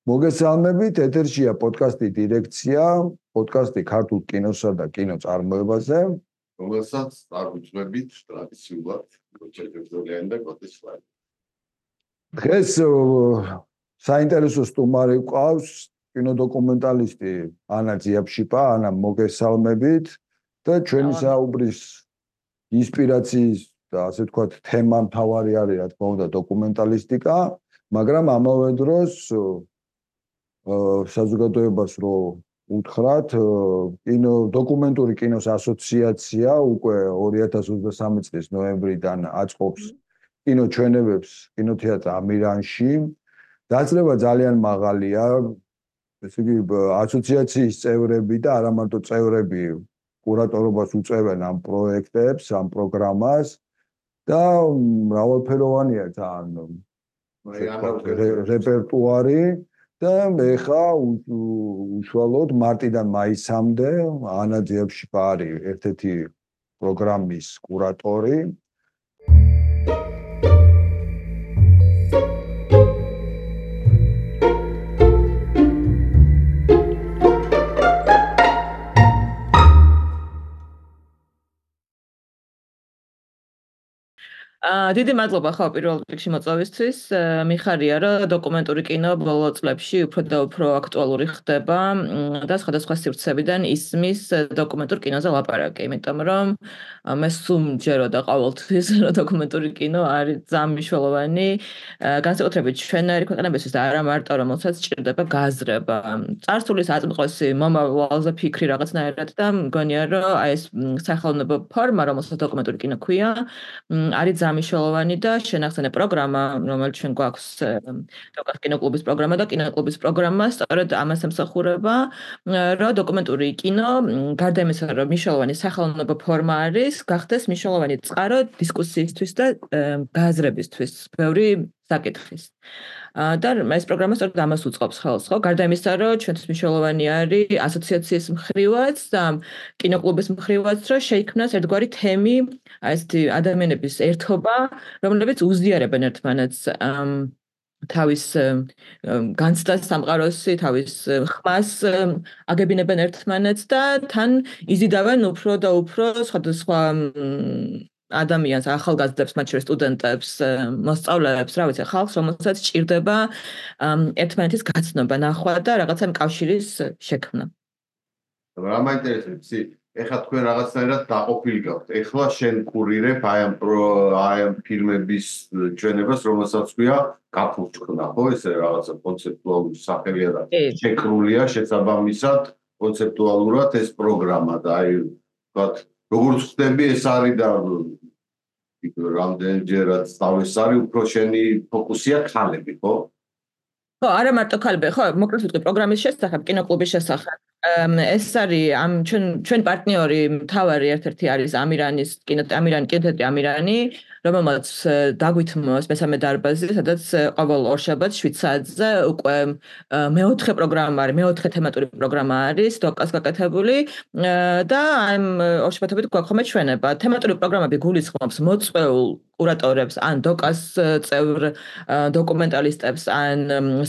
მოგესალმებით, ეთერშია პოდკასტი დირექცია, პოდკასტი ქართულ კინოსა და კინოწარმოებაზე, რომელსაც დაგუძვებით ტრადიციულად როჩერგებზოლიანი და კოტისლარი. დღეს საინტერესო სტუმარი გვყავს კინოდოკუმენტალისტი ანა ძიაფშიპა, ანა მოგესალმებით და ჩვენი საუბრის ინსპირაციის და ასე ვთქვათ თემა მთავარი არის რა თქმა უნდა დოკუმენტალისტიკა, მაგრამ ამავე დროს საზოგადოებას რო უთხრათ დოკუმენტური კინოს ასოციაცია უკვე 2023 წლის ნოემბრიდან აწყობს კინოჩვენებებს კინოთეატრ ამირანში. დაძლევა ძალიან მაღალია, ესე იგი ასოციაციის წევრები და არა მარტო წევრები კურატორობას უწევენ ამ პროექტებს, ამ პროგრამას და მრავალფეროვანია ძალიან რეპერტუარი და ეხა უშუალოდ მარტიდან მაისამდე ანა ძიაფშიპა არის ერთ-ერთი პროგრამის კურატორი. დიდი მადლობა ხო პირველ რიგში მოწვევისთვის. მიხარია რომ დოკუმენტური კინო ბოლო წლებში უფრო და უფრო აქტუალური ხდება და სხვადასხვა სივრცეებიდან ისმის დოკუმენტურ კინოზე ლაპარაკი, იმიტომ რომ მე სუმჯერო და ყოველთვის რომ დოკუმენტური კინო არის ძალიან მნიშვნელოვანი განსაკუთრებით ჩვენარი ქვეყნებისთვის და არა მარტო რომელსაც სჭირდება გაზრება. წარსულის აწმყოსი მომავალზე ფიქრი რაღაცნაირად და მგონია რომ აი ეს სახელმწიფო ფორმა რომელსაც დოკუმენტური კინო ქვია არის მნიშვნელოვანი და შენახსენე პროგრამა, რომელიც ჩვენ გვაქვს დოკას კინოკლუბის პროგრამა და კინოკლუბის პროგრამა, სწორედ ამას ემსახურება, რომ დოკუმენტური კინო, გარდა იმისა, რომ მნიშვნელოვანი სახელმწიფო ფორმა არის, გახდეს მნიშვნელოვანი წყარო დისკუსიისთვის და გააზრებისთვის, ბევრი საკითხის. და ეს პროგრამა სწორედ ამას უწყობს ხელს, ხო? გარდა იმისა, რომ ჩვენთვის მნიშვნელოვანი არის ასოციაციის მხრივაც და კინოკლუბის მხრივაც, რომ შეიქმნას ერთგვარი თემი, აი ესეთი ადამიანების ერთობა, რომლებიც უზიარებენ ერთმანეთს თავის განცდას სამყაროსი, თავის ხმას აგებინებენ ერთმანეთს და თან იზიდავენ უფრო და უფრო სხვადასხვა ადამიანს, ახალგაზრდებს, მათ შორის სტუდენტებს, მოსწავლეებს, რა ვიცი, ხალხს, რომელსაც სჭირდება ერთმანეთის გაცნობა, ნახვა და რაღაცა კავშირის შექმნა. რა მაინტერესებს, ეხლა თქვენ რაღაცნაირად დაყოფილი გაქვთ. ეხლა შენ კურირებ აი ამ ფილმების ჩვენებას, რომელსაც ქვია გაფურჩქნა, ხო, ესე რაღაცა კონცეპტუალური სახელია და შეკრულია შესაბამისად კონცეპტუალურად ეს პროგრამა და აი ვთქვათ, როგორც ხდები ეს არის და რამდენჯერაც დავეს არის, უფრო შენი ფოკუსია ქალები, ხო? ხო, არა მარტო ქალები, ხო, მოკლედ ვიტყვი პროგრამის შესახებ, კინოკლუბის შესახებ. ეს არის ამ ჩვენ პარტნიორი მთავარი ერთ-ერთი არის ამირანი კინოთეატრი ამირანი, რომელმაც დაგვითმოს მესამე დარბაზი, სადაც ყოველ ორშაბათს 7 საათზე უკვე მეოთხე პროგრამა არის, მეოთხე თემატური პროგრამა არის დოკას გაკეთებული და ამ ორშაბათობით გვაქვს ხოლმე ჩვენება. თემატური პროგრამები გულისხმობს მოწვეულ კურატორებს, ან დოკას წევრ დოკუმენტალისტებს, ან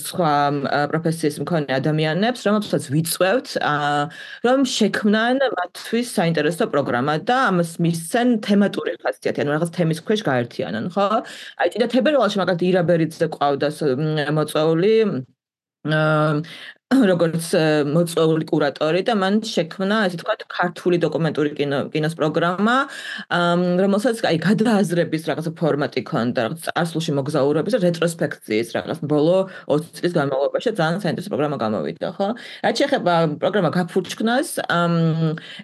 სხვა პროფესიის მქონე ადამიანებს, რომელთაც ვიწვევთ, რომ შექმნან მათთვის საინტერესო პროგრამა და ამას მისცენ თემატური ხასიათი, ანუ რაღაც თემის ქვეშ გაერთიანან, ხო? აი წინა თებერვალში მაგალითად ირა ბერიძე ყავდა მოწვეული როგორც მოწვეული კურატორი და მან შექმნა, ასე ვთქვათ, ქართული დოკუმენტური კინოს პროგრამა, რომელსაც აი გადააზრების რაღაცა ფორმატი ქონდა, რაღაც წარსულში მოგზაურობის და რეტროსპექციის რაღაც ბოლო 20 წლის განმავლობაში ძალიან საინტერესო პროგრამა გამოვიდა, ხო? რაც შეეხება პროგრამა გაფურჩქნას,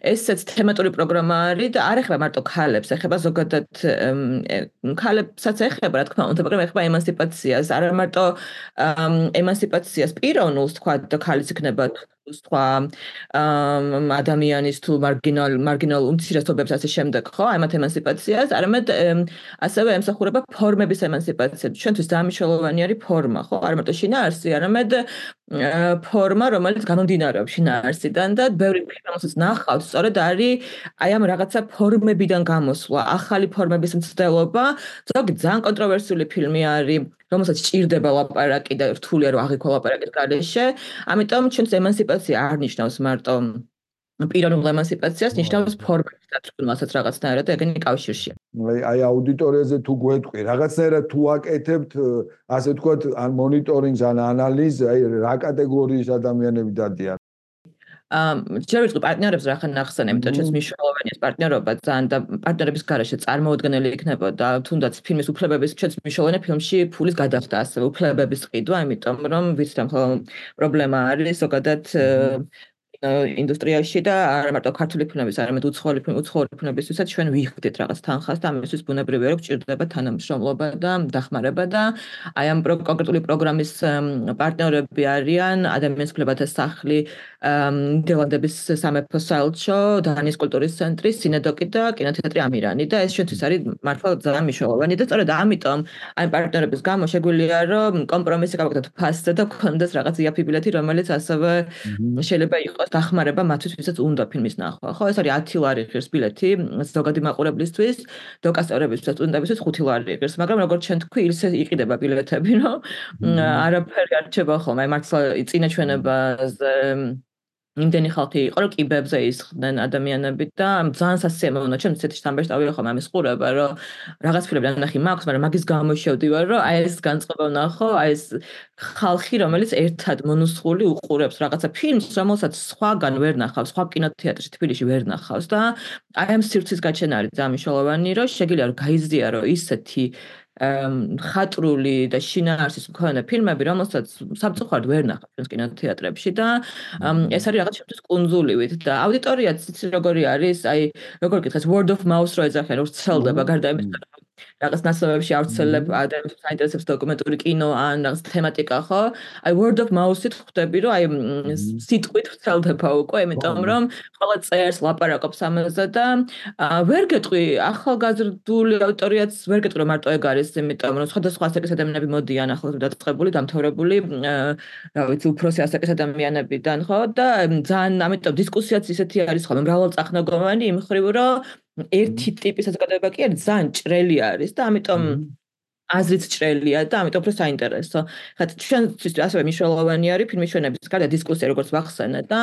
ესეც თემატური პროგრამა არის და არ ეხება მარტო ქალებს, ეხება ზოგადად ქალებსაც ეხება, რა თქმა უნდა, მაგრამ ეხება ემანსიპაციას, არა მარტო ემანსიპაციას პიროვნულს, თქვა და ქალის იქნება სხვა ადამიანის თუ მარგინალ უმცირესობებს ასე შემდეგ, ხო? აი მათ ემანსიპაციას, არამედ ასევე ემსახურება ფორმების ემანსიპაციას. ჩვენთვის ძალიან მნიშვნელოვანი არის ფორმა, ხო? არა მარტო შინაარსი, არამედ ფორმა, რომელიც გამომდინარეობს შინაარსიდან და ბევრი ფილმს ნახავთ, სწორედ არის აი ამ რაღაცა ფორმებიდან გამოსვლა, ახალი ფორმების მცდელობა. ზოგი ძალიან კონტროვერსიული ფილმი არის, რომელსაც ჭირდება ლაპარაკი და რთულია რომ აღიქვა ლაპარაკის გარეშე. ამიტომ ჩვენს ემანსიპაცია არ ნიშნავს მარტო პიროვნულ ემანსიპაციას, ნიშნავს ფორმების დაწვრთნასაც რაღაცნაირად და ეგენი კავშირშია. აი აუდიტორიაზე თუ გვეტყვი, რაღაცნაირად თუ აკეთებთ, ასე ვთქვათ, ან მონიტორინგს, ან ანალიზს, აი რა კატეგორიის ადამიანები დადიან? ჯერ ვიტყვი პარტნიორებს რა ხან ახსენე, იმიტომ რომ მნიშვნელოვანია პარტნიორობა ძალიან და პარტნიორების გარეშე წარმოუდგენელი იქნებოდა თუნდაც ფილმის უფლებების ჩვენს მნიშვნელოვანი ფილმში ფულის გადახდა ასევე უფლებების ყიდვა, იმიტომ რომ ვიცით ამ პრობლემა არის ზოგადად ინდუსტრიაში და არა მარტო ქართული ფილმების, არამედ უცხოური ფილმებისთვისაც ჩვენ ვიხდით რაღაც თანხას და ამისთვის ბუნებრივია რომ გჭირდება თანამშრომლობა და დახმარება და აი ამ კონკრეტული პროგრამის პარტნიორები არიან ადამიანის უფლებათა სახლი, ნიდერლანდების სამეფო საელჩო, დანიის კულტურის ცენტრი, სინედოკი და კინოთეატრი ამირანი და ეს ჩვენთვის არის მართლა ძალიან მნიშვნელოვანი და სწორედ ამიტომ აი პარტნიორების გამო შეგვიძლია რომ კომპრომისი გავაკეთოთ ფასზე და გქონდეს რაღაც იაფი ბილეთი, რომელიც ასევე შეიძლება იყოს დახმარება მათთვის, ვისაც უნდა ფილმის ნახვა. ხო, ეს არის 10 ლარი ღირს ბილეთი ზოგადი მაყურებლისთვის, დოკასტორებისთვის, სტუდენტებისთვის 5 ლარი ღირს, მაგრამ როგორც ჩვენ თქვი, ისე იყიდება ბილეთები, რომ არაფერი არ რჩება ხოლმე. აი მართლა წინაჩვენებაზე იმდენი ხალხი იყო, რომ კიბებზე ისხდნენ ადამიანები და ძალიან სასიამოვნო, ჩემ ისეთი სამბეშტავია ხოლმე ამის ყურება, რომ რაღაც ფილმები ნახი მაქვს, მაგრამ მაგის გამო შევდივარ, რომ აი ეს განწყობა ვნახო, აი ეს ხალხი, რომელიც ერთად მონუსხული უყურებს რაღაცა ფილმს, რომელსაც სხვაგან ვერ ნახავს, სხვა კინოთეატრში თბილისში ვერ ნახავს და აი ამ სივრცის გაჩენა არის ძალიან მნიშვნელოვანი, რომ შეგიძლია რომ გაიზიარო ისეთი ხატრული და შინაარსის მქონე ფილმები, რომელსაც სამწუხაროდ ვერ ნახავთ ჩვენს კინოთეატრებში და ეს არის რაღაც შემთხვევით კუნძულივით და აუდიტორიაც იცი როგორი არის, აი როგორ გითხეს word of mouth რო ეძახიან, რო ვრცელდება გარდა იმისა, რაღაც ნაცნობებში ავრცელებ ადამიანებს საინტერესებს დოკუმენტური კინო ან რაღაც თემატიკა, ხო? აი word of mouth-ით ხვდები, რომ აი სიტყვით ვრცელდება უკვე, იმიტომ რომ ყველა წერს, ლაპარაკობს ამაზე და ვერ გეტყვი ახალგაზრდული აუდიტორიაც ვერ გეტყვი რომ მარტო ეგ არის, იმიტომ რომ სხვადასხვა ასაკის ადამიანები მოდიან ახლად დაწყებული, დამთავრებული, რა ვიცი, უფროსი ასაკის ადამიანებიდან, ხო? და ძალიან ამიტომ დისკუსიაც ისეთი არის ხოლმე მრავალწახნაგოვანი იმ მხრივ, რომ ერთი ტიპის საზოგადოება კი არის ძალიან ჭრელი არის და ამიტომ აზრიც ჭრელია და ამიტომ უფრო საინტერესო. ხა ჩვენთვის ასევე მნიშვნელოვანი არის ფილმის ჩვენების გარდა დისკუსია, როგორც ვახსენე და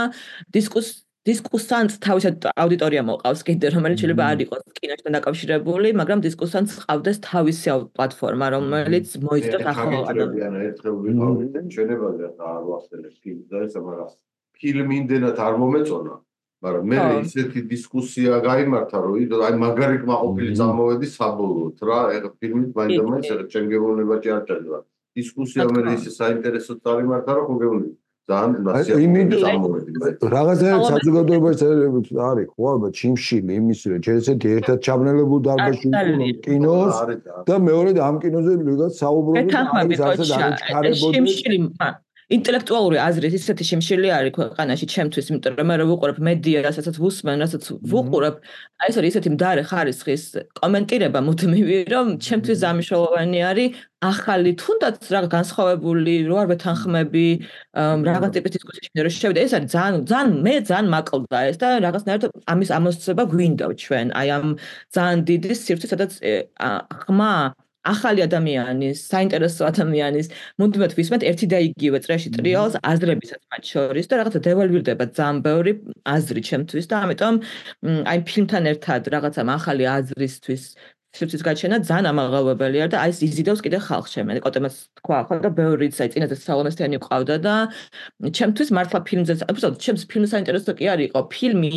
დისკუსანტს თავისად აუდიტორია მოყავს კიდე, რომელიც შეიძლება არ იყოს კინოსთან დაკავშირებული, მაგრამ დისკუსანტს ყავდეს თავისი პლატფორმა, რომელიც მოიცავს ახალ ადამიანებს. ერთხელ ვიყავით ჩვენებაზე არ ვახსენებ ფილმს და ეს მაგრამ ფილმი იმდენად არ მომეწონა, მაგრამ მე ისეთი დისკუსია გაიმართა, რომ აი მაგარი კმაყოფილი წამოვედი საბოლოოდ რა, ეხლა ფილმით მაინდა-მაინც ეხლა ჩემ გეუბნებაში არ ჭარბა. დისკუსია მე ისე საინტერესოდ წარიმართა, რომ ხო გეუბნები. რაღაცა საზოგადოებაში არის ხო ალბათ ჩიმშილი იმის რომ ჯერ ესეთი ერთად ჩაბნელებულ დარბაზში კინოს და მეორედ ამ კინოზე ვიღაც საუბრობთ არის ასე ჩიმშილი ინტელექტუალური აზრით ისეთი შიმშილი არის ქვეყანაში ჩემთვის, იმიტომ რომ მე რო ვუყურებ მედია, რასაც ვუსმენ, რასაც ვუყურებ, აი ეს არის ისეთი მდარე ხარისხის კომენტირება მუდმივი, რომ ჩემთვის ამიშოვანი არის ახალი თუნდაც რაღაც განსხვავებული რო არ ვეთანხმები, რაღაც ტიპის დისკუსიაში რო შევიდე, ეს არის ძალიან მე ძალიან მაკლდა ეს და რაღაცნაირად ამის ამოსწრება გვინდა ჩვენ, აი ამ ძალიან დიდი სივრცე, სადაც ხმა ახალი ადამიანის, საინტერესო ადამიანის, მუდმივად ვისმენთ ერთი და იგივე წრეში ტრიალს აზრებისაც მათ შორის და რაღაცა დევალვირდება ძალიან ბევრი აზრი ჩემთვის და ამიტომ აი ფილმთან ერთად რაღაცა ახალი აზრისთვის სივრცის გაჩენა ძალიან ამაღელვებელია და აი ეს იზიდავს კიდე ხალხს შემე კოტემას თქვა ხო და ბევრიც აი წინაზე სალომესთიანი ყავდა და ჩემთვის მართლა ფილმზე უბრალოდ ჩემს ფილმს საინტერესო კი არ იყო ფილმი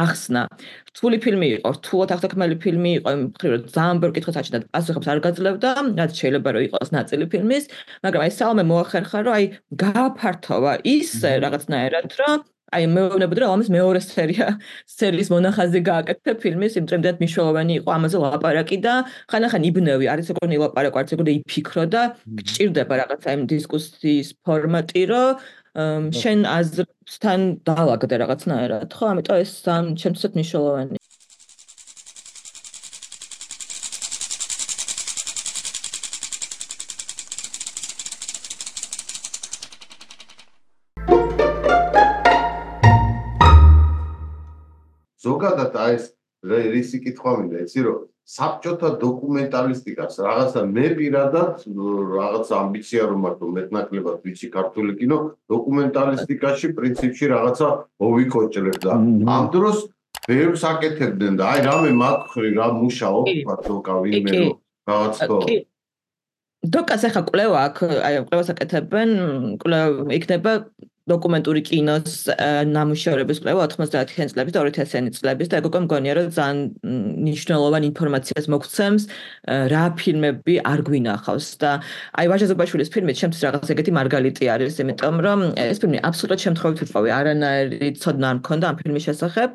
ახსნა რთული ფილმი იყო რთულად აღთქმელი ფილმი იყო იმ მხრივ რომ ძალიან ბევრ კითხვას აჩნდა პასუხებს არ გაძლევდა რაც შეიძლება რომ იყოს ნაწილი ფილმის მაგრამ აი სალომე მოახერხა რომ აი გააფართოვა ისე რაღაცნაირად რომ აი მეუბნებოდი რომ ამის მეორე სერიის მონახაზი გააკეთე ფილმის იმდროინდ მნიშვნელოვანი იყო ამაზე ლაპარაკი და ხანახან იბნევი არის როგორი ლაპარაკო არც როგორი იფიქრო და გჭირდება რაღაცა იმ დისკუსიის ფორმატი რომ შენ აზრთან დაალაგდე რაღაცნაირად ხო ამიტომ ეს ჩემთვისაც მნიშვნელოვანია ზოგადად აი ეს რისი კითხვა მინდა იცი რომ საბჭოთა დოკუმენტალისტიკას რაღაცა მე პირადად რაღაც ამბიცია რომ მაქვს მეტნაკლებად ვიცი ქართული კინო დოკუმენტალისტიკაში პრინციპში რაღაცა მოვიკოჭრებ და ამ დროს ბევრს აკეთებდნენ და აი რამე მაქხრი რა მუშაობ თქვა დოკა ვინმე რომ რაღაც თო დოკას ახლა კვლევა აქ აი კვლევას აკეთებენ კვლევა იქნება დოკუმენტური კინოს ნამუშევრების კვლევა 90-იან წლების და 2000-იანი წლების და ეგ უკვე მგონია რომ ძალიან მნიშვნელოვანი ინფორმაციას მოგცემს რა ფილმები არ გვინახავს და აი ვაჟა ზუბაშვილის ფილმით შემთხვევით რაღაც ეგეთი მარგალიტი არის იმიტომ რომ ეს ფილმი აბსოლუტურად შემთხვევით ვიყავი არანაირი ცოდნა არ მქონდა ამ ფილმის შესახებ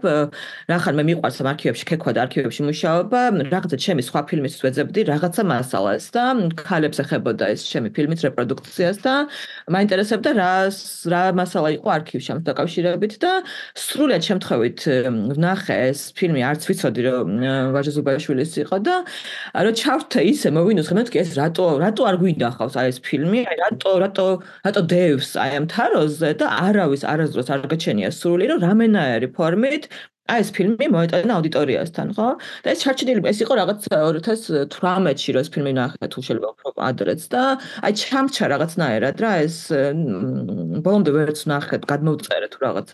რახან მე მიყვარს ამ არქივებში ქექვა და არქივებში მუშაობა რაღაცა ჩემი სხვა ფილმისთვის ვეძებდი რაღაცა მასალას და ქალებს ეხებოდა ეს ჩემი ფილმის რეპროდუქციას და მაინტერესებდა რა მასალა იყო არქივში ამ დაკავშირებით და სრულად შემთხვევით ვნახე ეს ფილმი არც ვიცოდი რომ ვაჟა ზუბაშვილის იყო და რომ ჩავრთე ისე მოვინუხე მეთქი ეს რატო არ გვინახავს აი ეს ფილმი აი რატო დევს აი ამ თაროზე და არავის არასდროს არ გაჩენია სრული რომ რამენაირი ფორმით აი ეს ფილმი მოეტანა აუდიტორიასთან, ხო? და ეს ჩარჩენილი ეს იყო რაღაც 2018-ში რომ ეს ფილმი ნახე თუ შეიძლება უფრო ადრეც და აი ჩამჩა რაღაცნაირად რა ეს ბოლომდე ვერც ნახეთ, გადმოვწერე თუ რაღაც.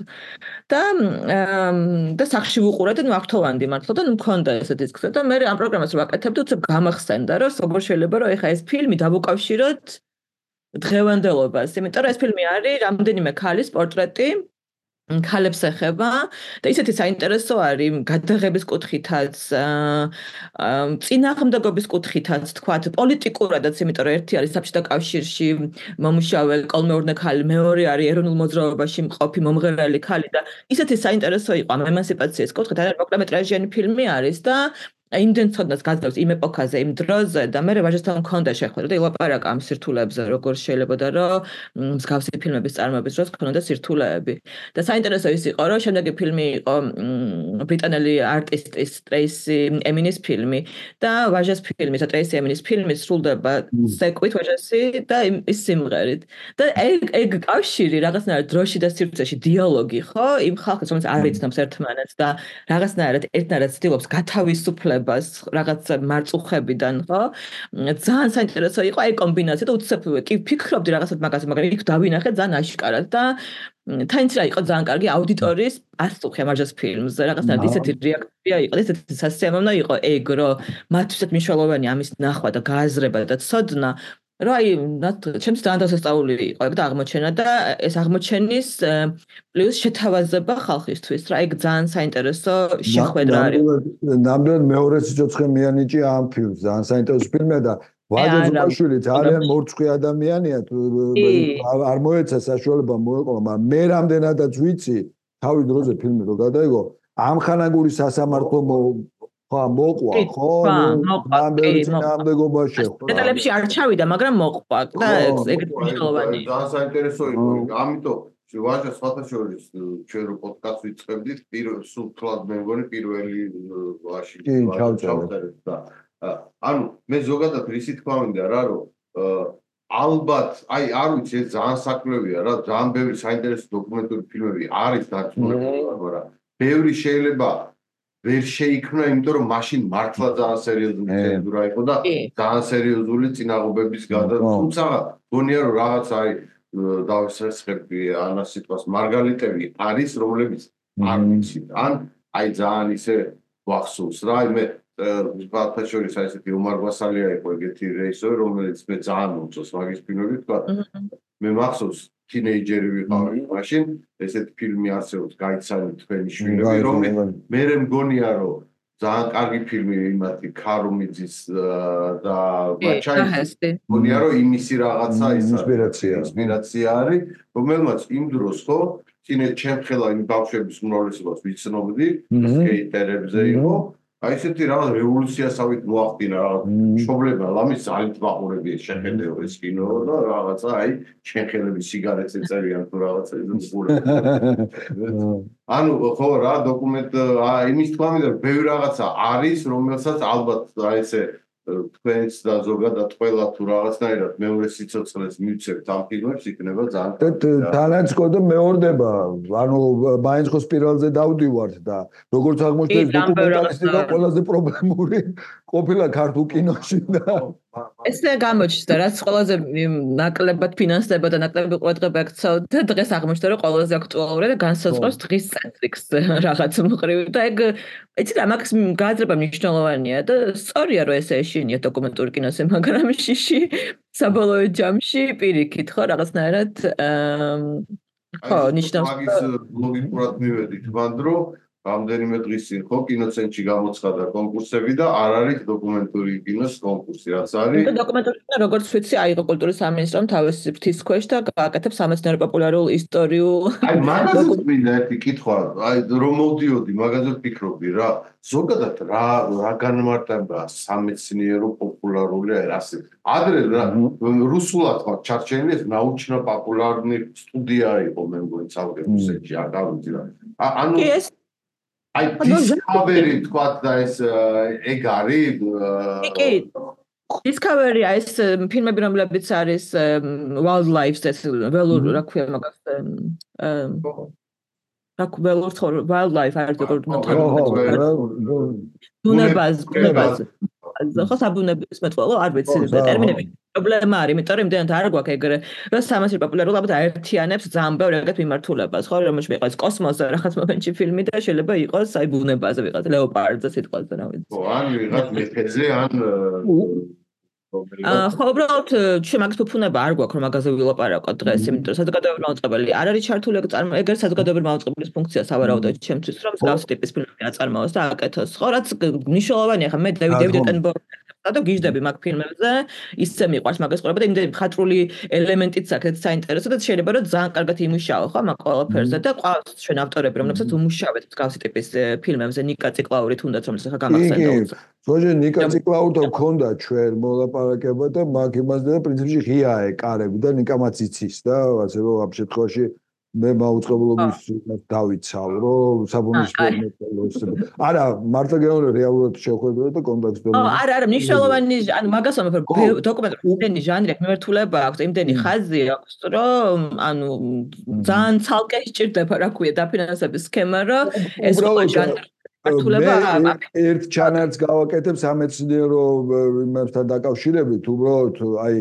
და სახში ვუყურე და ნუ აღთოვანდი მართლა და ნუ მქონდა ესე დისკზე და მე ამ პროგრამას რო ვაკეთებდი, უცებ გამახსენდა რომ როგორ შეიძლება რომ ეხა ეს ფილმი დავუკავშიროთ დღევანდელობას, იმიტომ რომ ეს ფილმი არის რამდენიმე ქალის პორტრეტი ქალებს ეხება და ისეთი საინტერესო არის გადაღების კუთხითაც, წინააღმდეგობის კუთხითაც, თქვათ, პოლიტიკურადაც, იმიტომ რომ ერთი არის საბჭოთა კავშირში მომუშავე კოლმეურნე ქალი, მეორე არის ეროვნულ მოძრაობაში მყოფი მომღერალი ქალი და ისეთი საინტერესო იყო ამ ემანსიპაციის კუთხით, არის მოკლემეტრაჟიანი ფილმი არის და იმდენ ცოდნას გაძლევს იმ ეპოქაზე, იმ დროზე და მე ვაჟასთან მქონდა შეხვედრა და ილაპარაკა ამ სირთულეებზე, როგორ შეიძლება რომ მსგავსი ფილმების წარმოების დროს ქონოდა სირთულეები. და საინტერესო ის იყო, რომ შემდეგი ფილმი იყო ბრიტანელი არტისტის ტრეისი ემინის ფილმი და ვაჟას ფილმი, ტრეისი ემინის ფილმი სრულდება სეკვით ვაჟასი და ის სიმღერით. და ეგ კავშირი რაღაცნაირად დროში და სივრცეში დიალოგი, ხო? იმ ხალხის, რომელიც არ იცნობს ერთმანეთს და რაღაცნაირად ერთნაირად ცდილობს გათავისუფლებას რაღაც მარწუხებიდან, ხო? ძალიან საინტერესო იყო აი კომბინაცია და უცებ კი ფიქრობდი რაღაცად მაგაზე, მაგრამ იქ დავინახე ძალიან აშკარად და თანაც რა იყო ძალიან კარგი აუდიტორიის პასუხი ამ ვაჟას ფილმზე. რაღაცნაირად ისეთი რეაქცია იყო, ისეთი სასიამოვნო იყო ეგ, რომ მათთვისაც მნიშვნელოვანი ამის ნახვა და გააზრება და ცოდნა რომ აი ჩემს ძალიან დასასწაული იყო ეგ და აღმოჩენა და ეს აღმოჩენის პლუს შეთავაზება ხალხისთვის რა ეგ ძალიან საინტერესო შეხვედრა არის. ნამდვილად მეორე სიცოცხლე მიანიჭი ამ ფილმს ძალიან საინტერესო ფილმია და ვაჟა ზუბაშვილი ძალიან მორწყვი ადამიანია არ მოეცა საშუალება მოეყოლა მაგრამ მე რამდენადაც ვიცი თავი დროზე ფილმი რო გადაიღო ამხანაგური სასამართლო ხო მოყვა ხო ნამდვილად შეხვდა დეტალებში არ ჩავიდა მაგრამ მოყვა და ეგ მნიშვნელოვანი ძალიან საინტერესო იყო ამიტომ ვაჟა სხვათა შორის ჩვენ რო პოდკასტს ვიწყებდით სულ თლად მე მგონი პირველი ვაში ჩავწერეთ და ანუ მე ზოგადად რისი თქვა მინდა რა რომ ალბათ აი არ ვიცი ეს ძალიან საქმეებია რა ძალიან ბევრი საინტერესო დოკუმენტური ფილმები არის დაწუნებული მაგრამ ბევრი შეიძლება ვერ შეიქმნა იმიტომ რომ მაშინ მართლა ძალიან სერიოზული ცენზურა იყო და ძალიან სერიოზული წინაღობების გადადგმა თუმცა გონია რომ რაღაც აი დავსესხები ანას სიტყვას მარგალიტები არის რომლებიც არ ვიცი ან აი ძალიან ისე ვახსოვს რა მე ვთქვათ შორის აი ესეთი ომარ გვასალია იყო ეგეთი რეჟისორი რომელიც მე ძალიან მომწონს მაგის ფილმები ვთქვათ მე მახსოვს თინეიჯერი ვიყავი მაშინ ესეთი ფილმი არსებობს გაიცანი თქვენი შვილები რომელიც მე მგონია რომ ძალიან კარგი ფილმი იმათი ქარუმიძის და ბაჩაის მგონია რომ იმისი რაღაცა ის ინსპირაცია არის რომელმაც იმ დროს ხო წინე ჩემხელა იმ ბავშვების უმრავლესობას ვიცნობდი სკეიტერებზე იყო აი ესეთი რაღაც რევოლუციასავით მოახდინა რაღაც მშობლებმა ლამის ძალით ვაყურები შეხედეო ეს კინო და რაღაცა აი ჩემხელების სიგარეტს ეწერიან თუ რაღაცა ანუ ხო რა დოკუმენტ იმის თქვა მინდა ბევრი რაღაცა არის რომელსაც ალბათ აი ესე თქვენს და ზოგადად ყველა თუ რაღაცნაირად მეორე სიცოცხლეს მივცემთ ამ ფილმებს, იქნება ძალიან თანაც კოდო მეორდება. ანუ მაინც ხო სპირალზე დავდივართ და როგორც აღმოჩნდა დოკუმენტალისტიკა ყველაზე პრობლემური ყოფილა ქართულ კინოში და ესე გამოჩნდა, რაც ყველაზე ნაკლებად ფინანსდება და ნაკლები ყურადღება ექცეოდა, დღეს აღმოჩნდა, რომ ყველაზე აქტუალურია და განსაზღვრავს დღის ცენტრიკს რაღაც მხრივ და ეგ იცით რა მაგის გააზრება მნიშვნელოვანია და სწორია რომ ესე ეშინია დოკუმენტური კინოზე, მაგრამ შიში საბოლოო ჯამში პირიქით ხო რაღაცნაირად ხო ნიშნავს მაგის ლოგიკურად მივედით მანდ რომ რამდენიმე დღის წინ ხო კინოცენტრში გამოცხადა კონკურსები და არ არის დოკუმენტური კინოს კონკურსი, რაც არის. დოკუმენტური კინო როგორც ვიცი, აიღო კულტურის სამინისტრომ თავისი ფრთის ქვეშ და გააკეთებს სამეცნიერო პოპულარულ ისტორიულ. აი მაგაზე მინდა ერთი კითხვა, აი რომ მოვდიოდი, მაგაზე ვფიქრობდი რა. ზოგადად რა განმარტება სამეცნიერო პოპულარული ასე. ადრე რუსულად ხო ჩარჩენილი ეს научно-популярная სტუდია იყო მე მგონი ცალკე რუსეთში, არ გავიცი რა. ანუ აი Discovery თქვათ და ეს ეგ არის კი Discovery ეს ფილმები რომლებიც არის wildlife ეს ველურ რა ქვია მაგას wildlife არის ბუნებას ხო საბუნების მეტყველო არ ვიცი ტერმინები პრობლემა არის იმიტომ რომ იმდენად არ გვაქვს ეგრე რომ სამეცნიერო პოპულარულად აერთიანებს ძალიან ბევრ ეგეთ მიმართულებას ხო რომელშიც იყოს კოსმოსზე რაღაც მომენტში ფილმი და შეიძლება იყოს აი ბუნებაზე ვიღაც ლეოპარდზე სიტყვაზე რა ვიცი ხო ან ვიღაც მეფეზე ან ხო უბრალოდ ჩვენ მაგის ფუფუნება არ გვაქვს რომ მაგაზე ვილაპარაკოთ დღეს იმიტომ რომ საზოგადოებრივი მაუწყებელი არ არის ჩართული ეგრე საზოგადოებრივი მაუწყებლის ფუნქცია სავარაუდოდ ჩემთვის რომ მსგავსი ტიპის ფილმები აწარმოოს და აკეთოს ხო რაც მნიშვნელოვანია ხა მე დევიდ ატენბორგს და გიждები მაგ ფილმებზე ისე მიყვარს მაგას ყურება და იმდენი მხატვრული ელემენტიც აქვს საინტერესო და შეიძლება რომ ძალიან კარგად იმუშაო ხო მაგ ყველაფერზე და ყავს ჩვენ ავტორები რომლებსაც უმუშავეთ მსგავსი ტიპის ფილმებზე ნიკა ციკლაური თუნდაც რომელიც ხა გამახსენდა ზოგადად ნიკა ციკლაურთან გქონდა ჩვენ მოლაპარაკება და მაგ იმასდა და პრინციპში ღია ეკარები და ნიკამაც იცის და ასე რომ ამ შემთხვევაში მე მაუწყებლობის დავიცავ რომ საბუნის ფილმებს არა მარტო გეონე რეალურად შეხვედრა და კონტექსტი არა მნიშვნელოვანი ანუ მაგას ვამბობ დოკუმენტური იმდენი ჟანრი აქვს მიმართულება აქვს იმდენი ხაზი აქვს რომ ანუ ძალიან ცალკე სჭირდება რა ქვია დაფინანსების სქემა რომ ეს ყველა ჟანრი ერთ ჩანარს გავაკეთებ სამეცნიერო იმასთან დაკავშირებით უბრალოდ აი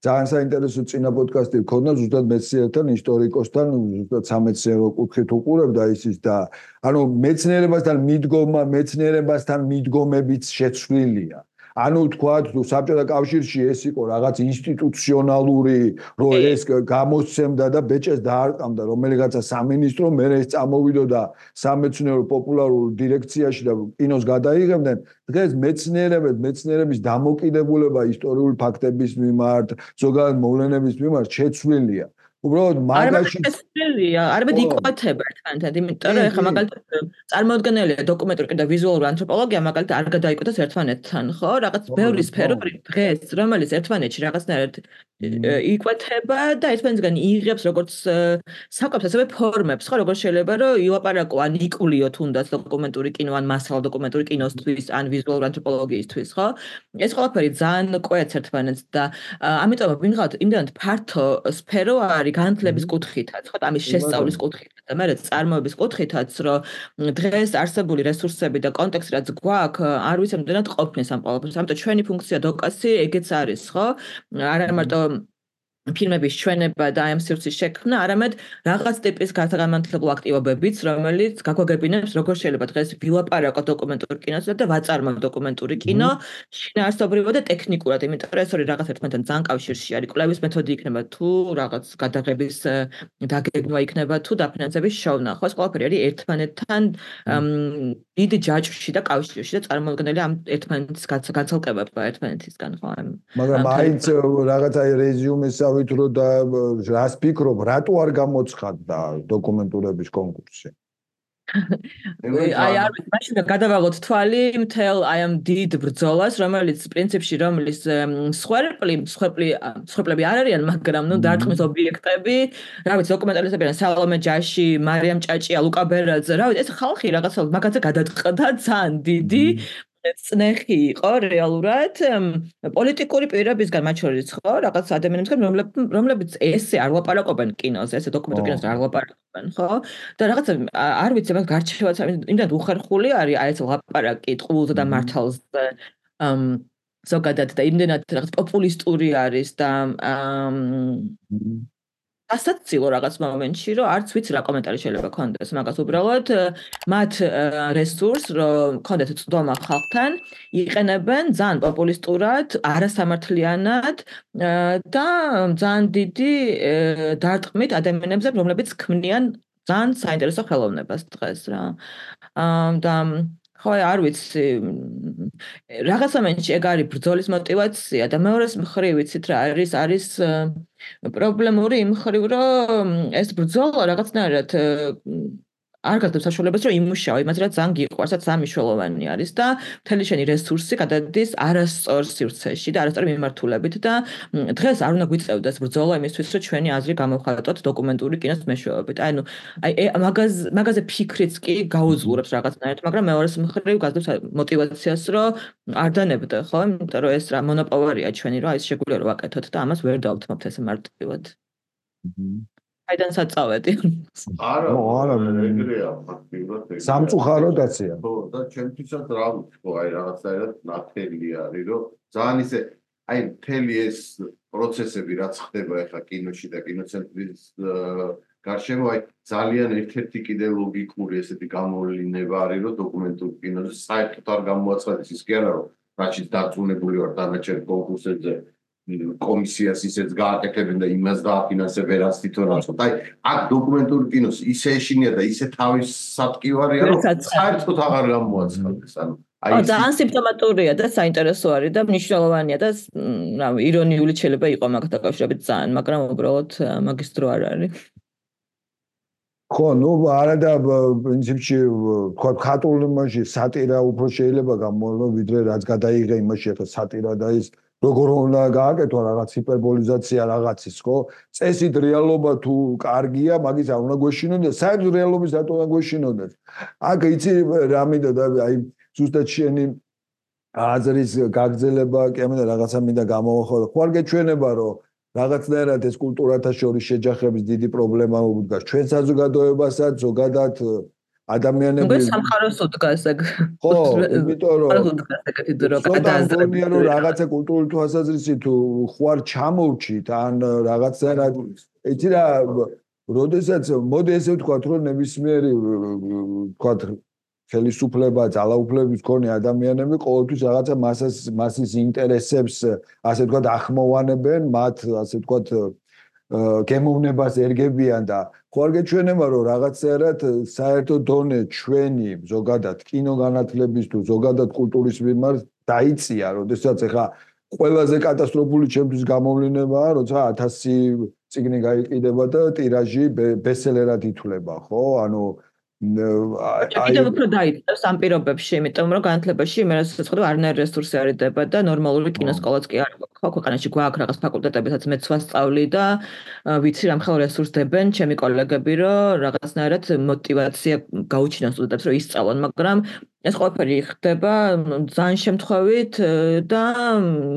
ძალიან საინტერესო წინა პოდკასტი გქონდა ზუსტად მეცნიერთან, ისტორიკოსთან, ზუსტად სამეცნიერო კუთხით უყურებდა ისიც და ანუ მეცნიერებასთან მიდგომებიც შეცვლილია. ანუ თქვათ საბჭოთა კავშირში ეს იყო რაღაც ინსტიტუციონალური რომ ეს გამოსცემდა და ბეჭეს დაარტყამდა რომელიღაცა სამინისტრო მე ეს წამოვიდოდა სამეცნიერო პოპულარულ დირექციაში და კინოს გადაიღებდნენ დღეს მეცნიერების დამოკიდებულება ისტორიული ფაქტების მიმართ ზოგადად მოვლენების მიმართ შეცვლილია უბრალოდ მაგაში არამედ იკვეთება ერთმანეთთან იმიტომ რომ ეხლა მაგალითად წარმოუდგენელია დოკუმენტური და ვიზუალური ანთროპოლოგია მაგალითად არ გადაიკვეთოს ერთმანეთთან ხო რაღაც ბევრი სფეროები დღეს რომელიც ერთმანეთში რაღაცნაირად იკვეთება და ერთმანეთისგან იღებს როგორც საკვებს ასევე ფორმებს ხო როგორც შეიძლება რომ ილაპარაკო ან იკულიო თუნდაც დოკუმენტური კინო ან მასალა დოკუმენტური კინოსთვის ან ვიზუალური ანთროპოლოგიისთვის ხო ეს ყველაფერი ძალიან კვეთს ერთმანეთს და ამიტომ ვინღავთ იმდენად ფართო სფერო არის განათლების კუთხითაც, ხო, ამის შესწავლის კუთხითაც და მე წარმოების კუთხითაც, რომ დღეს არსებული რესურსები და კონტექსტი რაც გვაქვს, არ ვიცი ამდენად ყოფნის ამ ყველაფერს. ამიტომ ჩვენი ფუნქცია დოკასი ეგეც არის, ხო? არა მარტო ფილმების ჩვენება და ამ სივრცის შექმნა, არამედ რაღაც ტიპის განმანათლებლო აქტივობებიც, რომელიც გაგვაგებინებს, როგორ შეიძლება დღეს ვილაპარაკოთ დოკუმენტური კინოზე და ვაწარმოოთ დოკუმენტური კინო, შინაარსობრივად და ტექნიკურად, იმიტომ რომ ეს ორი რაღაც ერთმანეთთან ძალიან კავშირში არის. კვლევის მეთოდი იქნება თუ რაღაც გადაღების დაგეგმვა იქნება თუ დაფინანსების შოვნა. ხო, ეს ყველაფერი არის ერთმანეთთან დიდი ჯაჭვში და კავშირში და წარმოუდგენელი ამ ერთმანეთის განცალკევება ერთმანეთისგან, ხო? მაგრამ მაინც რაღაც აი რეზიუმეს ვიტრო და რას ფიქრობ, რატო არ გამოცხადდა დოკუმენტურების კონკურსი? აი არ ვიცი, მაშინ გადავალოთ თვალი მთელ აი ამ დიდ ბრძოლას, რომელიც პრინციპში რომლის სხვეპლები არ არიან, მაგრამ ნუ დარტყმის ობიექტები, რა ვიცი, დოკუმენტალისტები არიან სალომე ჯაში, მარიამ ჭაჭია, ლუკა ბერაძე, რა ვიცი, ეს ხალხი რაღაცა მაგაზე გადაწყდა ძალიან დიდი წნეხი იყო რეალურად პოლიტიკური პირებისგან, მათ შორის ხო, რაღაც ადამიანებისგან, რომლებიც ესე არ ლაპარაკობენ კინოზე, ესე დოკუმენტურ კინოზე არ ლაპარაკობენ, ხო? და რაღაცა არ ვიცი, მაგ გარჩევაც იმდან უხერხული არის აი ეს ლაპარაკი ტყუილზე და მართალზე. ზოგადად და იმდენად რაღაც პოპულისტური არის და ასაცილო რაღაც მომენტში, რომ არც ვიცი რა კომენტარი შეიძლება ქონდეს მაგას უბრალოდ მათ რესურს, რომ ქონდეთ წვდომა ხალხთან, იყენებენ ძალიან პოპულისტურად, არასამართლიანად და ძალიან დიდი დარტყმით ადამიანებზე, რომლებიც ქმნიან ძალიან საინტერესო ხელოვნებას დღეს რა. და ხო არ ვიცი რაღაც მომენტში ეგ არის ბრძოლის мотиваცია და მეორეს მხრივ ვიცით რა არის პრობლემური იმ მხრივ რომ ეს ბრძოლა რაღაცნაირად არ გაგდებს საშუალებას რომ იმუშაო იმას რაც ძალიან გიყვარს რაც სამიშველოვანი არის და მთელი შენი რესურსი გადადის არასწორ სივრცეში და არასწორი მიმართულებით და დღეს არ უნდა გვიწევდეს ბრძოლა იმისთვის რომ ჩვენი აზრი გამოვხატოთ დოკუმენტური კინოს მეშვეობით აი მაგაზე ფიქრიც კი გაუძლურებს რაღაცნაირად მაგრამ მეორეს მხრივ გაგდებს мотиваციას რომ არ დანებდე ხო იმიტომ რომ ეს რა მონოპოლარია ჩვენი რომ აი ეს შეგვიძლია რომ ვაკეთოთ და ამას ვერ დავთმობთ ესე მარტივად აიდან საწავედი. არა, ეგრეა ფაქტიურად. სამწუხაროდაცია. ხო, და ჩემთვისაც რა ვთქვა, აი რაღაცაერად ნათელი არის, რომ ძალიან ისე აი მთელი ეს პროცესები რაც ხდება ახლა კინოში და კინოცენტრის გარშემო აი ძალიან ერთ-ერთი კიდე ლოგიკური ესეთი გამოვლინება არის, რომ დოკუმენტურ კინოზე საერთოდ არ გამოაცხადეს ის კი არა, რომ რაჩიც დარწმუნებული ვარ დანარჩენ კონკურსებზე კომისიას ისეც გააკეთებენ და იმას დააფინანსებენ რაც თვითონ აწყობ. აი, აქ დოკუმენტური კინოს ისე ეშინია და ისე თავის სატკივარია, რომ საერთოდ აღარ გამოაცხადეს. ანუ აი ძალიან სიმპტომატურია და საინტერესო არის და მნიშვნელოვანია და რა ირონიული შეიძლება იყოს მაგასთან დაკავშირებით ძალიან, მაგრამ უბრალოდ მაგის დრო არ არის. ხო, ნუ არა და პრინციპში თქვა ხატულ იმაში სატირა უფრო შეიძლება გამოვლო ვიდრე რაც გადაიღე იმაში ახლა სატირა და ის როგორ უნდა გააკეთო რაღაც ჰიპერბოლიზაცია რაღაცის, ხო? წესით რეალობა თუ კარგია, მაგის არ უნდა გვეშინოდეს, საერთოდ რეალობის რატო უნდა გვეშინოდეს? აქ იცი რა მინდა და აი ზუსტად შენი აზრის გაგრძელება, კი ამიტომ რაღაცა მინდა გამოვახო. ხო არ გეჩვენება, რომ რაღაცნაირად ეს კულტურათა შორის შეჯახების დიდი პრობლემა უდგას ჩვენ საზოგადოებასაც, ზოგადად ადამიანები სამხაროს უდგას ეგ. ხო, იმიტომ რომ რაღაცა კულტურული თვალსაზრისით თუ ხوار ჩამოვჭით ან რაღაცნაირად იცი რა, როდესაც მოდი ესე ვთქვათ, რომ ნებისმიერი ვთქვათ ხელისუფლება, ძალაუფლების მქონე ადამიანები ყოველთვის რაღაცა მასის ინტერესებს ასე ვთქვათ ახმოვანებენ, მათ ასე ვთქვათ გემოვნებას ერგებიან და ხო არ გეჩვენება რომ რაღაცნაირად საერთო დონე ჩვენი ზოგადად კინოგანათლების თუ ზოგადად კულტურის მიმართ დაიწია, როდესაც ახლა ყველაზე კატასტროფული ჩემთვის გამოვლენებაა, როცა 1000 წიგნი გაიყიდება და ტირაჟი ბესტსელერად ითვლება, ხო? ანუ კიდევ უფრო დაიწევს ამ პირობებში, იმიტომ რომ განათლებაში მე რასაც ხედავ არნაირი რესურსი არ იდება და ნორმალური კინოსკოლაც კი არ აქვს. ხო, ქვეყანაში გვაქვს რაღაც ფაკულტეტებისაც მეც ვასწავლი და ვიცი რამ ხელ რესურს დებენ ჩემი კოლეგები, რომ რაღაცნაირად мотиваცია გაუჩინონ სტუდენტებს, რომ ისწავლონ, მაგრამ ეს ყველაფერი ხდება ძალიან შემთხვევით და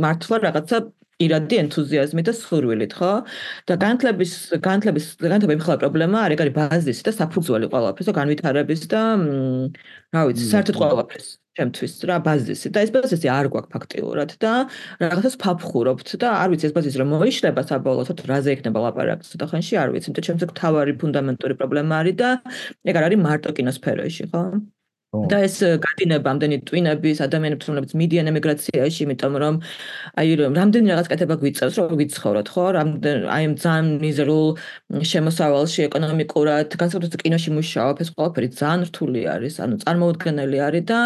მართლა რაღაცა ირადი ენთუზიაზმი და სურვილით, ხო? და განათლება იმხელა პრობლემა არ არის ბაზისი და საფუძველი ყველაფრის და განვითარების და რა ვიცი, საერთოდ ყველაფრის ჩემთვის რა ბაზისი და ეს ბაზისი არ გვაქვს ფაქტიურად და რაღაცას ფაფხურობთ და არ ვიცი ეს ბაზისი რომ მოიშლება საბოლოოდ რაზე იქნება ლაპარაკი ცოტა ხანში არ ვიცი, იმიტომ ჩემთვის თავარი ფუნდამენტური პრობლემა არის და ეგ არ არის მარტო კინოსფეროში, ხო? და ეს გადინება ამდენი ტვინების ადამიანებს რომლებიც მიდიან ემიგრაციაში, იმიტომ რომ აი რამდენი რაღაც კეთება გვიწევს რომ ვიცხოვროთ, ხო? აი ძალიან მიზერულ შემოსავალში ეკონომიკურად, განსაკუთრებით კინოში მუშაობ, ეს ყველაფერი ძალიან რთული არის, ანუ წარმოუდგენელი არის და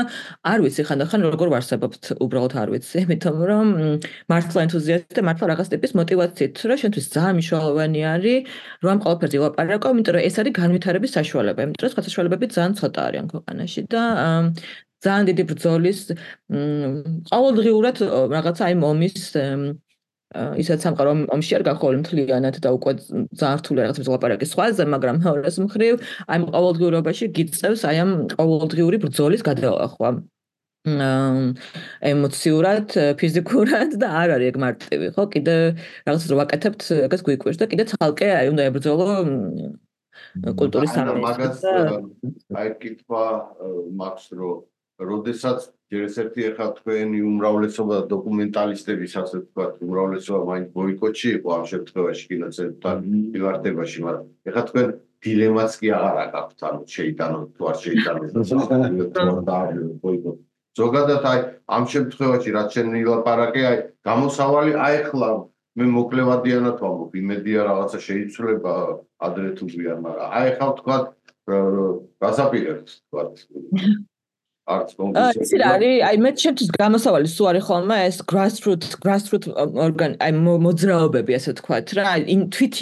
არ ვიცი ხანდახან როგორ ვარსებობთ, უბრალოდ არ ვიცი, იმიტომ რომ მართლა ენთუზიასტი და მართლა რაღაც ტიპის мотиваციით, რომ შენთვის ძალიან მნიშვნელოვანი არის, რომ ამ ყველაფერზე ვილაპარაკო, იმიტომ რომ ეს არის განვითარების საშუალება, იმიტომ რომ სხვა საშუალებები ძალიან ცოტა არიან ქვეყანაში. და ძალიან დიდი ბრძოლის ყოველდღიურად რაღაცა აი ომის ისაც სამყარო ომში არ გახოლ მთლიანად და უკვე ძალიან რთული რაღაცა ლაპარაკი სხვაზე, მაგრამ მეორეს მხრივ აი ყოველდღიურობაში გიწევს აი ამ ყოველდღიური ბრძოლის გადალახვა. ემოციურად, ფიზიკურად და არ არის ეგ მარტივი, ხო? კიდე რაღაცას რო ვაკეთებთ, ეგეც გვიკვირს და კიდე ცალკე უნდა ებრძოლო კულტურის სამინისტროს და აი კითხვა მაქვს რომ როდესაც ჯერ ერთი ახლა თქვენი უმრავლესობა დოკუმენტალისტების ასე ვთქვათ, უმრავლესობა მაინც ბოიკოტში იყო ამ შემთხვევაში კინოცენტრთან მიმართებაში, მაგრამ ახლა თქვენ დილემაც კი აღარ აქვს, ანუ შეიტანოთ თუ არ შეიტანოთ და ბოიკოტი. ზოგადად აი ამ შემთხვევაში რაც შენ ვილაპარაკე, აი გამოსავალი აი ახლა მე მოკლევადიანად ვამბობ, იმედია რაღაცა შეიცვლება ადრე თუ გვიან, მაგრამ აი ახლა ვთქვათ გასაპირებთ ვთქვათ არც კონკრეტულად. ის არის, აი მე ჩემთვის გამოსავალი სულ არის ხოლმე ეს grassroots აი მოძრაობები ასე ვთქვათ რა, თვით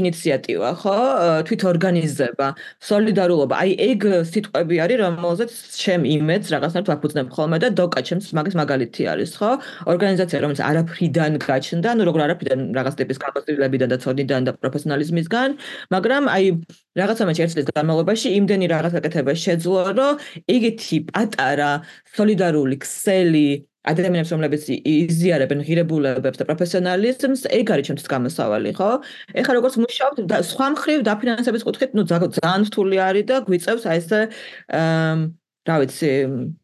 ინიციატივა, ხო? თვით ორგანიზება, სოლიდარულობა. აი ეგ სიტყვები არის, რომელზეც ჩემ იმედს რაღაცნაირად ვაფუძნებ ხოლმე და დოკა ჩემს მაგის მაგალითი არის, ხო? ორგანიზაცია, რომელიც არაფრიდან გაჩნდა, ну როგორ არაფრიდან რაღაც ტიპის გამოცდილებიდან და ცოდნიდან და პროფესიონალიზმისგან, მაგრამ აი რაღაცა მე ერთ წლის განმავლობაში იმდენი რაღაც გაკეთება შეძლო, რომ ეგეთი პატარა სოლიდარული ქსელი ადამიანებს, რომლებიც იზიარებენ ღირებულებებს და პროფესიონალიზმს, ეგ არის ჩემთვის გამოსავალი, ხო? ეხლა როგორც მუშაობთ, სხვა მხრივ დაფინანსების კუთხით, ну ძალიან რთული არის და გვიწევს აი ესე რა ვიცი,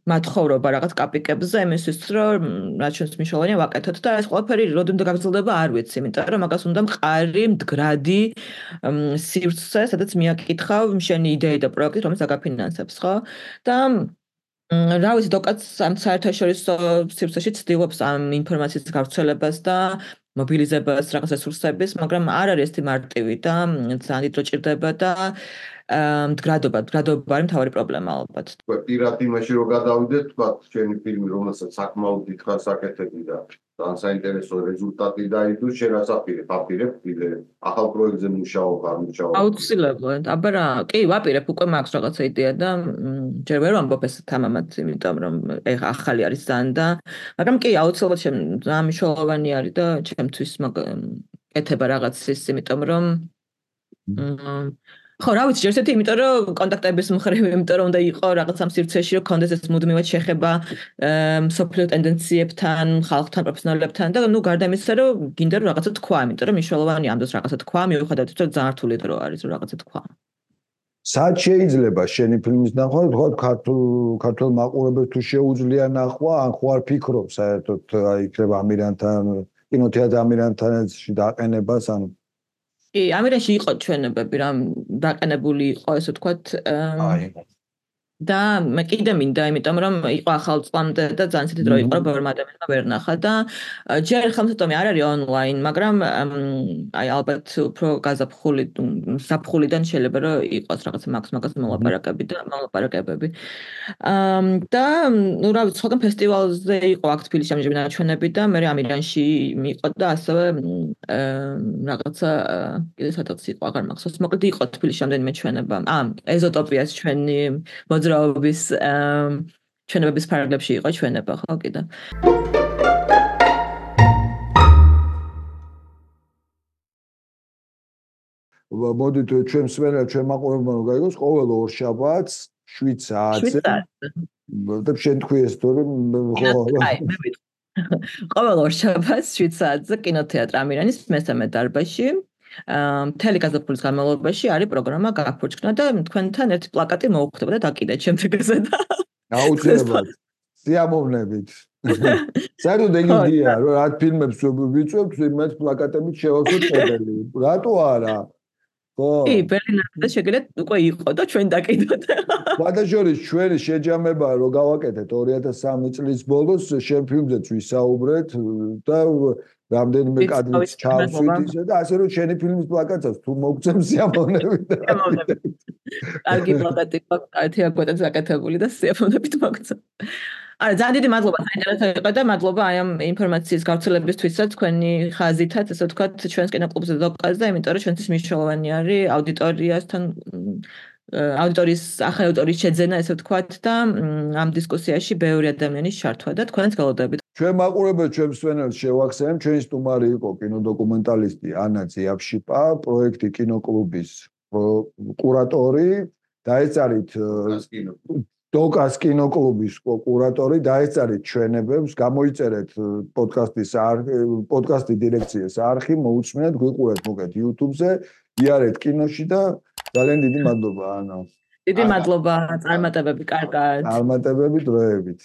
მათხოვრობა რაღაც კაპიკებზე იმისთვის, რომ რაც ჩვენს მნიშვნელოვანია ვაკეთოთ და ეს ყველაფერი როდემდე გაგრძელდება არ ვიცი, იმიტომ რომ მაგას უნდა მყარი, მდგრადი სივრცე, სადაც მიაკითხავ შენი იდეი და პროექტი, რომელიც აგაფინანსებს, ხო? და რა ვიცი, დოკაც ამ საერთაშორისო სივრცეში ცდილობს ამ ინფორმაციის გავრცელებას და მობილიზებას რაღაც რესურსების, მაგრამ არ არის ეს მარტივი და ძალიან დიდ დრო ჭირდება და მდგრადობა არის მთავარი პრობლემა ალბათ. პირად იმაში რომ გადავიდეთ, თქვა ჩვენი ფილმი, რომელსაც საკმაოდ დიდხანს აკეთებდი და ძალიან საინტერესო რეზულტატი დაიდო, შენ რას აპირებ კიდე ახალ პროექტზე მუშაობ. აუცილებლად. აბა რა, კი, ვაპირებ, უკვე მაქვს რაღაცა იდეა და ჯერ ვერ ვამბობ ეს თამამად, იმიტომ რომ ეხა ახალი არის ძალიან და მაგრამ კი, აუცილებლად ძალიან მნიშვნელოვანი არის და ჩემთვის კეთება რაღაცის, იმიტომ რომ ხო, რა ვიცი, ერთ-ერთი, იმიტომ რომ კონტაქტების მხრივ, იმიტომ რომ უნდა იყო რაღაც ამ სივრცეში, რომ კონდეს ეს მუდმივად შეხება სოფლიო ტენდენციებთან, ხალხთან, პროფესიონალებთან და ნუ გარდა იმისა, რომ გინდა რომ რაღაცა თქვა, იმიტომ რომ მნიშვნელოვანია ამ დროს რაღაცა თქვა, მიუხედავად იმისა, რომ ძალიან რთული დრო არის, რომ რაღაცა თქვა. სად შეიძლება შენი ფილმის ნახვა, თქვა ქართულ მაყურებელს თუ შეუძლია ნახვა, ან ხო არ ფიქრობ საერთოდ აი იქნება ამირანთან, კინოთეატრ ამირანთანში დაყენებას, ან კი, ამირანში იყო ჩვენებები, რა დაყენებული იყო, ესე ვთქვათ, და მე კიდე მინდა, იმიტომ რომ იყო ახალ წლამდე და ძალიან ცივი დრო იყო, რომ ბევრმა ადამიანმა ვერ ნახა და ჯერ ხელმისაწვდომი არ არის ონლაინ, მაგრამ აი ალბათ უფრო ზაფხულიდან შეიძლება რომ იყოს რაღაცა მაგას მოლაპარაკებები. და ნუ რა ვიცი, სხვაგან ფესტივალზე იყო აქ თბილისში ამჟამად ნაჩვენები და მე ამირანში იყო და ასევე რაღაცა კიდე სადაც იყო, აღარ მახსოვს, მოკლედ იყო თბილისში რამდენიმე ჩვენება. ეზოტოპიას ჩვენი მოძრაობის ჩვენებების ფარგლებში იყო ჩვენება, ხო, კიდე. მოდით ჩვენ მსმენელს, ჩვენ მაყურებელმა რომ გაიგოს, ყოველ ორშაბათს 7 საათზე. და შენ თქვი ეს თორე ყოველ ორშაბათს 7 საათზე კინოთეატრ ამირანის მესამე დარბაზში. მთელი გაზაფხულის განმავლობაში არის პროგრამა გაფურჩქნა და თქვენთან ერთი პლაკატი მოუხდება და დაკიდეთ შემდეგზე და აუცილებლად სიამოვნებით. საერთოდ ეგ იდეა, რომ რა ფილმებს ვიწვევთ, იმათ პლაკატებით შევავსოთ კედელი. რატო არა? ხო. კი, ბერლინამდე შეგიძლიათ უკვე იყო და ჩვენ დაკიდოთ. ბადაჟორის ჩვენი შეჯამება რომ გავაკეთეთ 2003 წლის ბოლოს შენ ფილმზეც ვისაუბრეთ და რამდენიმე კადრიც ჩავსვით ისე და ასე რომ შენი ფილმის პლაკატსაც თუ მოგწევს სიამოვნებით. კარგი პლაკატი ერთი აკვეთაც აკეთებული და სიამოვნებით მოგწევს. არა, ძალიან დიდი მადლობა საინტერესო იყო და მადლობა აი ამ ინფორმაციის გავრცელებისთვისაც თქვენი ხაზითაც, ასე ვთქვათ, ჩვენს კინოკლუბზე დოკაზე, იმიტომ რომ ჩვენთვის მნიშვნელოვანი არის აუდიტორიასთან აუდიტორიის ახალი აუდიტორიის შეძენა, ესე ვთქვათ და ამ დისკუსიაში ბევრი ადამიანის ჩართვა და თქვენაც გელოდებით. ჩვენ მაყურებელს, ჩვენ მსმენელს შევახსენებ, ჩვენი სტუმარი იყო კინოდოკუმენტალისტი ანა ძიაფშიპა, პროექტი კინოკლუბის კურატორი. დაეწარით დოკას კინოკლუბის კურატორი, დაეწერეთ ჩვენებებს, გამოიწერეთ პოდკასტი დირექციის არხი, მოუწმინეთ, გვიყურეთ მოკეთ YouTube-ზე, იარეთ კინოში და ძალიან დიდი მადლობა, ანა. დიდი მადლობა, წარმატებები, კარგად. წარმატებები დროებით.